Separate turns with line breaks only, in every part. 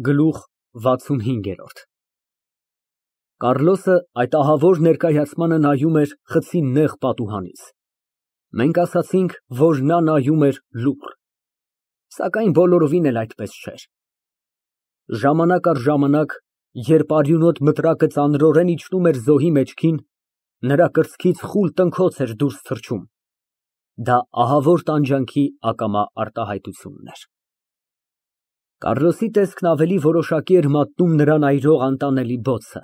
Գլուխ XXV Կառլոսը այդ ահավոր ներկայացմանը նայում էր խցի նեղ պատուհանից, մենք ասացինք, որ նա նայում էր լուռ, սակայն բոլորովին էլ այդպես չէր, ժամանակ առ ժամանակ, երբ արյունոտ մտրակը ծանրորեն իջնում էր զոհի մեջքին, նրա կրծքից խուլ տնքոց էր դուրս թռչում, դա ահավոր տանջանքի ակամա արտահայտությունն էր։ Կառլոսի տեսքն ավելի որոշակի էր մատնում նրան այրող անտանելի բոցը։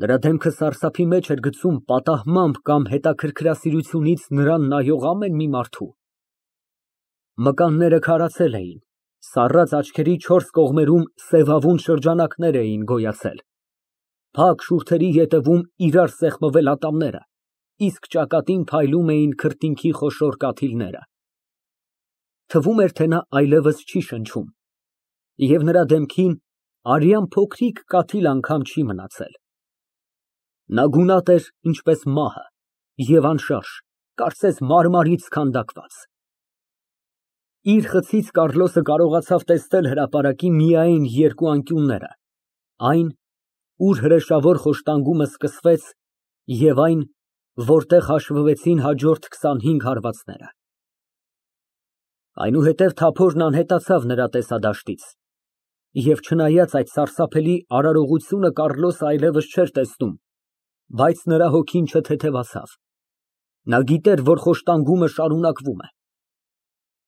Նրա դեմքը սարսափի մեջ էր գցում պատահմամբ կամ հետաքրքրասիրությունից նրան նայող ամեն մի մարդու։ Մկանները քարացել էին, սառած աչքերի չորս կողմերում սևավուն շրջանակներ էին գոյացել, փակ շուրթերի ետևում իրար սեղմվել ատամները, իսկ ճակատին փայլում էին քրտինքի խոշոր կաթիլները։ Թվում էր, թե նա այլևս չի շնչում, և նրա դեմքին արյան փոքրիկ կաթիլ անգամ չի մնացել։ Նա գունատ էր, ինչպես մահը, և անշարժ, կարծես մարմարից քանդակված։ Իր խցից Կառլոսը կարողացավ տեսնել հրապարակի միայն երկու անկյունները, այն, ուր հրեշավոր խոշտանգումը սկսվեց, և այն, որտեղ հաշվվեցին հաջորդ 25 հարվածները։ Այնուհետև թափորն անհետացավ նրա տեսադաշտից, և չնայած այդ սարսափելի արարողությունը Կառլոսը այլևս չէր տեսնում, բայց նրա հոգին չթեթևացավ, նա գիտեր, որ խոշտանգումը շարունակվում է։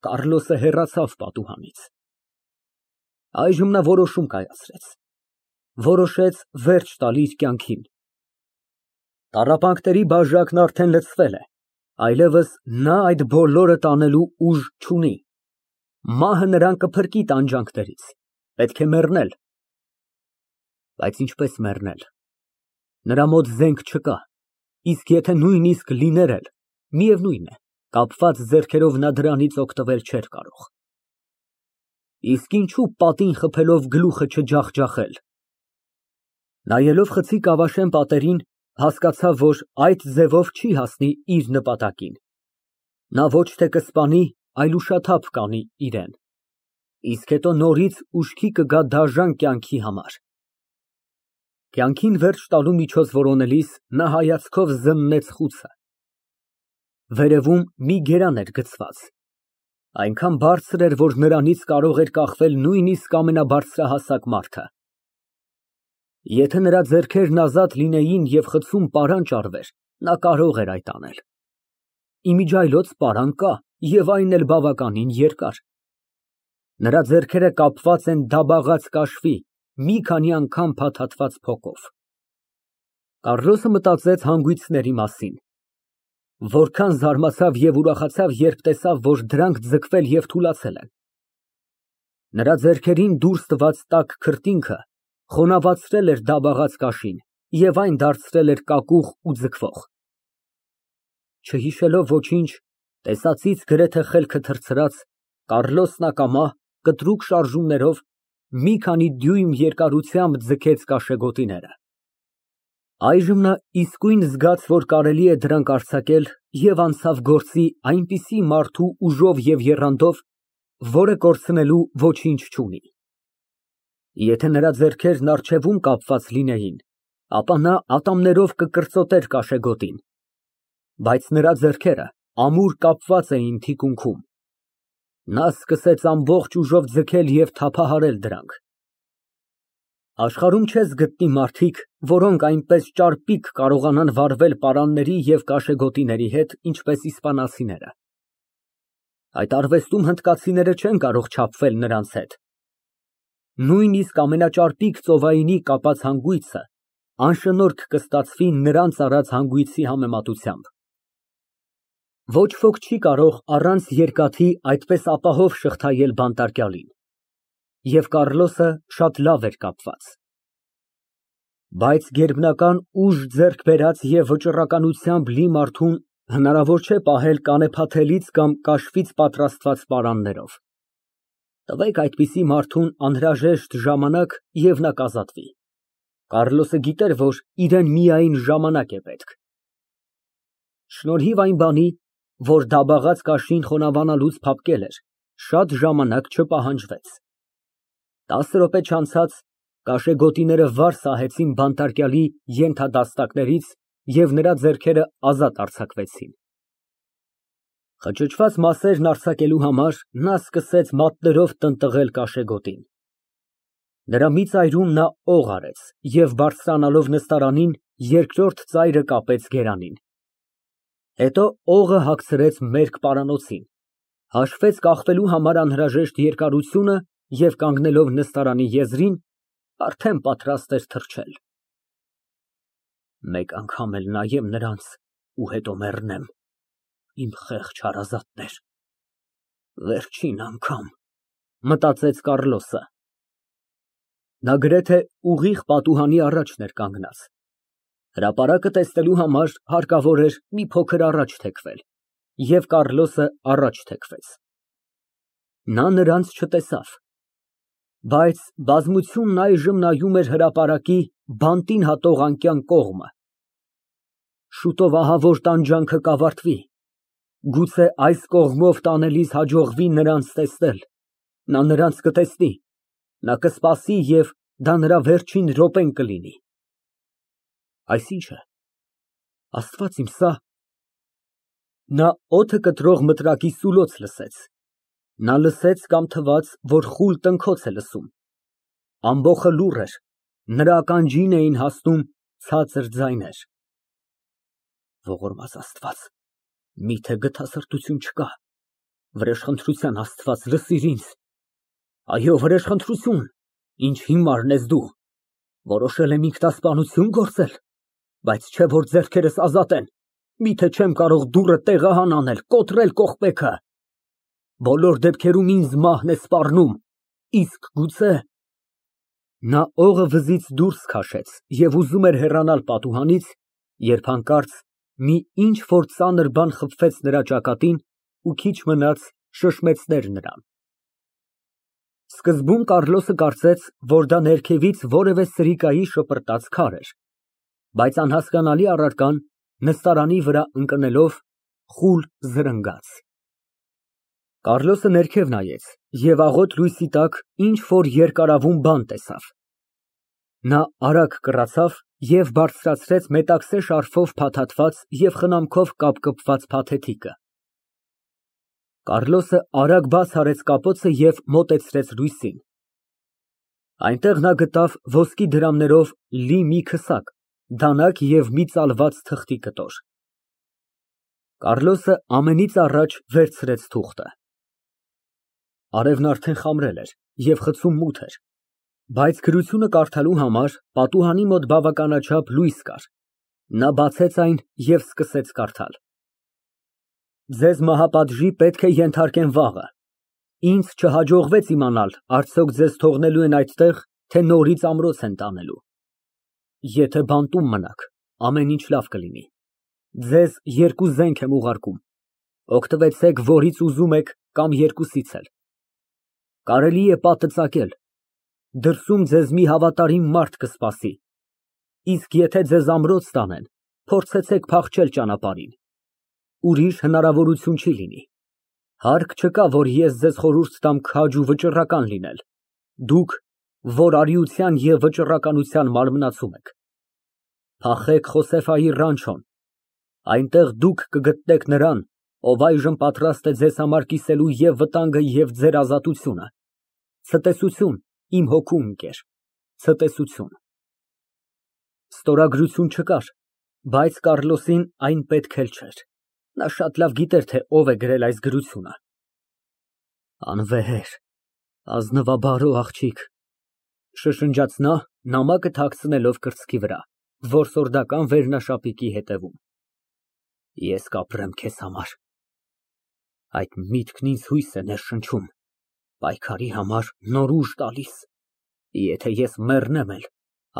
Կառլոսը հեռացավ պատուհանից։ Այժմ նա որոշում կայացրեց, որոշեց վերջ տալ իր կյանքին։ Տառապանքների բաժակն արդեն լցվել է, այլևս նա այդ բոլորը տանելու ուժ չունի, մահը նրան կփրկի տանջանքներից, պետք է մեռնել։ Բայց ինչպես մեռնել։ Նրա մոտ զենք չկա, իսկ եթե նույնիսկ լիներ էլ, միևնույն է, կապված ձեռքերով նա դրանից օգտվել չէր կարող։ Իսկ ինչու պատին խփելով գլուխը չջախջախել։ Նայելով խցի կավաշեն պատերին, հասկացավ, որ այդ ձևով չի հասնի իր նպատակին։ Նա ոչ թե կսպանի, այլ ուշաթափ կանի իրան, իսկ հետո նորից ուշքի կգա դաժան կյանքի համար։ Կյանքին վերջ տալու միջոց որոնելիս նա հայացքով զննեց խուցը։ Վերևում մի գերան էր գցված, այնքան բարձր էր, որ նրանից կարող էր կախվել նույնիսկ ամենաբարձրահասակ մարդը։ Եթե նրա ձեռքերն ազատ լինեին և խցում պարան ճարվեր, նա կարող էր այդ անել։ Իմիջիայլոց պարան կա, և այն էլ բավականին երկար։ Նրա ձեռքերը կապված են դաբաղած կաշվի, մի քանի անգամ փաթաթված փողով։ Կառլոսը մտածեց հանգույցների մասին։ Որքան զարմացավ և ուրախացավ, երբ տեսավ, որ դրանք ձգվել և թուլացել են։ Նրա ձեռքերին դուրս տված տաք քրտինքը խոնավացրել էր դաբաղած կաշին և այն դարձրել էր կակուղ ու ձգվող։ Չհիշելով ոչինչ, տեսածից գրեթե խելքը թռցրած, Կառլոսն ակամա, կտրուկ շարժումներով, մի քանի դյույմ երկարությամբ ձգեց կաշեգոտիները։ Այժմ նա իսկույն զգաց, որ կարելի է դրանք արձակել և անցավ գործի այնպիսի մարդու ուժով և եռանդով, որը կորցնելու ոչինչ չունի։ Եթե նրա ձեռքերն առջևում կապված լինեին, ապա նա ատամներով կկրծոտեր կաշեգոտին, բայց նրա ձեռքերը ամուր կապված էին թիկունքում։ Նա սկսեց ամբողջ ուժով ձգել և թափահարել դրանք։ Աշխարհում չես գտնի մարդիկ, որոնք այնպես ճարպիկ կարողանան վարվել պարանների և կաշեգոտիների հետ, ինչպես իսպանացիները։ Այդ արվեստում հնդկացիները չեն կարող չափվել նրանց հետ։ Նույնիսկ ամենաճարպիկ ծովայինի կապած հանգույցը անշնորհք կստացվի նրանց արած հանգույցի համեմատությամբ։ Ոչ ոք չի կարող առանց երկաթի այդպես ապահով շղթայել բանտարկյալին, և Կառլոսը շատ լավ էր կապված։ Բայց գերբնական ուժ ձեռք բերած և վճռականությամբ լի մարդուն հնարավոր չէ պահել կանեփաթելից կամ կաշվից պատրաստված պարաններով։ Տվեք այդպիսի մարդուն անհրաժեշտ ժամանակ, և նա կազատվի։ Կառլոսը գիտեր, որ իրան միայն ժամանակ է պետք։ Շնորհիվ այն բանի, որ դաբաղած կաշին խոնավանալուց փափկել էր, շատ ժամանակ չպահանջվեց։ 10 րոպե չանցած կաշեգոտիները վար սահեցին բանտարկյալի ենթադաստակներից և նրա ձեռքերը ազատ արձակվեցին։ Խճճված մասերն արձակելու համար նա սկսեց մատներով տնտղել կաշեգոտին։ Նրա մի ծայրում նա օղ արեց և բարձրանալով նստարանին, երկրորդ ծայրը կապեց գերանին։ Հետո օղը հագցրեց մերկ պարանոցին, հաշվեց կախվելու համար անհրաժեշտ երկարությունը և կանգնելով նստարանի եզրին, արդեն պատրաստ էր թռչել։ Մեկ անգամ էլ նայեմ նրանց ու հետո մեռնեմ, իմ խեղճ հարազատներ, վերջին անգամ, մտածեց Կառլոսը։ Նա գրեթե ուղիղ պատուհանի առաջն էր կանգնած։ Հրապարակը տեսնելու համար հարկավոր էր մի փոքր առաջ թեքվել, և Կառլոսը առաջ թեքվեց։ Նա նրանց չտեսավ, բայց բազմությունն այժմ նայում էր հրապարակի բանտին հատող անկյան կողմը։ Շուտով ահավոր տանջանքը կավարտվի, գուցե այս կողմով տանելիս հաջողվի նրանց տեսնել, նա նրանց կտեսնի, նա կսպասի և դա նրա վերջին րոպեն կլինի։ Այս ի՞նչ է, Աստված իմ, սա… Նա օդը կտրող մտրակի սուլոց լսեց։ Նա լսեց կամ թվաց, որ խուլ տնքոց է լսում։ Ամբոխը լուռ էր, նրա ականջին էին հասնում ցածր ձայներ։ Ողորմած Աստված, միթե գթասրտություն չկա։ Վրեժխնդրության Աստված, լսիր ինձ։ Այո, վրեժխնդրություն, ինչ հիմարն ես դու։ Որոշել եմ ինքնասպանություն գործել, բայց չէ որ ձեռքերս ազատ են, միթե չեմ կարող դուռը տեղահան անել, կոտրել կողպեքը։ Բոլոր դեպքերում ինձ մահն է սպառնում, իսկ գուցե… Նա օղը վզից դուրս քաշեց և ուզում էր հեռանալ պատուհանից, երբ հանկարծ մի ինչ֊որ ծանր բան խփվեց նրա ճակատին ու քիչ մնաց շշմեցներ նրան։ Սկզբում Կառլոսը կարծեց, որ դա ներքևից որևէ սրիկայի շպրտած քար էր, բայց անհասկանալի առարկան, նստարանի վրա ընկնելով, խուլ զրնգաց։ Կառլոսը ներքև նայեց և աղոտ լույսի տակ ինչ֊որ երկարավուն բան տեսավ։ Նա արագ կռացավ և բարձրացրեց մետաքսե շարֆով փաթաթված և խնամքով կապկպված փաթեթիկը։ Կառլոսը արագ բաց արեց կապոցը և մոտեցրեց լույսին։ Այնտեղ նա գտավ ոսկի դրամներով լի մի քսակ, դանակ և մի ծալված թղթի կտոր։ Կառլոսը ամենից առաջ վերցրեց թուղթը։ Արևն արդեն խամրել էր և խցում մութ էր, բայց գրությունը կարդալու համար պատուհանի մոտ բավականաչափ լույս կար։ Նա բացեց այն և սկսեց կարդալ. Ձեզ մահապատժի պետք է ենթարկեն վաղը։ Ինձ չհաջողվեց իմանալ արդյոք ձեզ թողնելու են այդտեղ, թե նորից ամրոց են տանելու։ Եթե բանտում մնաք, ամեն ինչ լավ կլինի։ Ձեզ երկու զենք եմ ուղարկում, օգտվեցեք որից ուզում եք կամ երկուսից էլ։ Կարելի է պատը ծակել, դրսում ձեզ մի հավատարիմ մարդ կսպասի, իսկ եթե ձեզ ամրոց տանեն, փորձեցեք փախչել ճանապարհին, ուրիշ հնարավորություն չի լինի։ Հարկ չկա, որ ես ձեզ խորհուրդ տամ քաջ ու վճռական լինել, դուք, որ արիության և վճռականության մարմնացում եք։ Փախեք Խոսեֆայի ռանչոն, այնտեղ դուք կգտնեք նրան, ով այժմ պատրաստ է ձեզ համար կիսելու և վտանգը, և ձեր ազատությունը։ Ցտեսություն, իմ հոգու ընկեր, ցտեսություն։ Ստորագրություն չկար, բայց Կառլոսին այն պետք էլ չէր։ Նա շատ լավ գիտեր, թե ով է գրել այս գրությունը։ Անվեհեր, ազնվաբարո աղջիկ, շշնջաց նա, նամակը թաքցնելով կրծքի վրա, որսորդական վերնաշապիկի հետևում։ Ես կապրեմ քեզ համար։ Այդ միտքն ինձ հույս է ներշնչում, պայքարի համար նոր ուժ տալիս։ Եթե ես մեռնեմ էլ,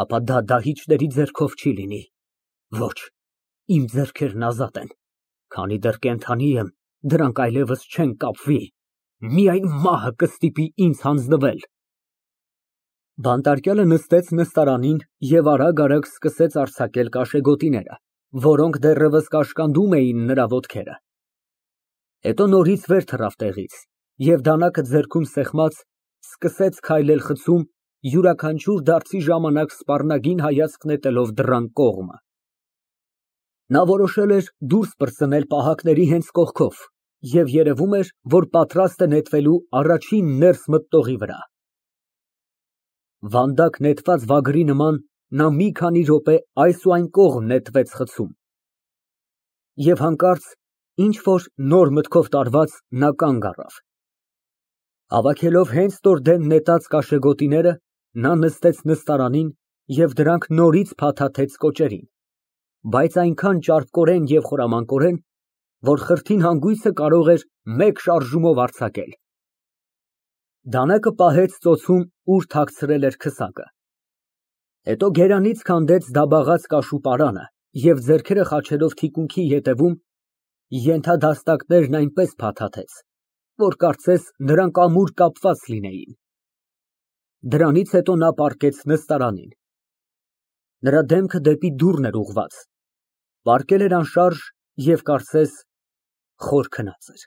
ապա դա դահիճների ձեռքով չի լինի։ Ոչ, իմ ձեռքերն ազատ են, քանի դեռ կենդանի եմ, դրանք այլևս չեն կապվի, միայն մահը կստիպի ինձ հանձնվել։ Բանտարկյալը նստեց նստարանին և արագ սկսեց արձակել կաշեգոտիները, որոնք դեռևս կաշկանդում էին նրա ոտքերը։ Հետո նորից վեր թռավ տեղից և դանակը ձեռքում սեղմած Սկսեց քայլել խցում, յուրաքանչյուր դարձի ժամանակ սպառնագին հայացք նետելով դռան կողմը։ Նա որոշել էր դուրս պրծնել պահակների հենց կողքով և երևում էր, որ պատրաստ է նետվելու առաջին ներս մտնողի վրա։ Վանդակ նետված վագրի նման նա մի քանի րոպե այս ու այն կողմ նետվեց խցում, և հանկարծ ինչ֊որ նոր մտքով տարված, նա կանգ առավ։ Հավաքելով հենց նոր դեն նետած կաշեգոտիները, նա նստեց նստարանին և դրանք նորից փաթաթեց կոճերին, բայց այնքան ճարպկորեն և խորամանկորեն, որ խրթին հանգույցը կարող էր մեկ շարժումով արձակել։ Դանակը պահեց ծոցում, ուր թաքցրել էր քսակը, հետո գերանից քանդեց դաբաղած կաշու պարանը և ձեռքերը խաչելով թիկունքի ետևում, ենթադաստակներն այնպես փաթաթեց, որ կարծես նրանք ամուր կապված լինեին։ Դրանից հետո նա պառկեց նստարանին։ Նրա դեմքը դեպի դուռն էր ուղղված, պառկել էր անշարժ և կարծես խոր քնած էր։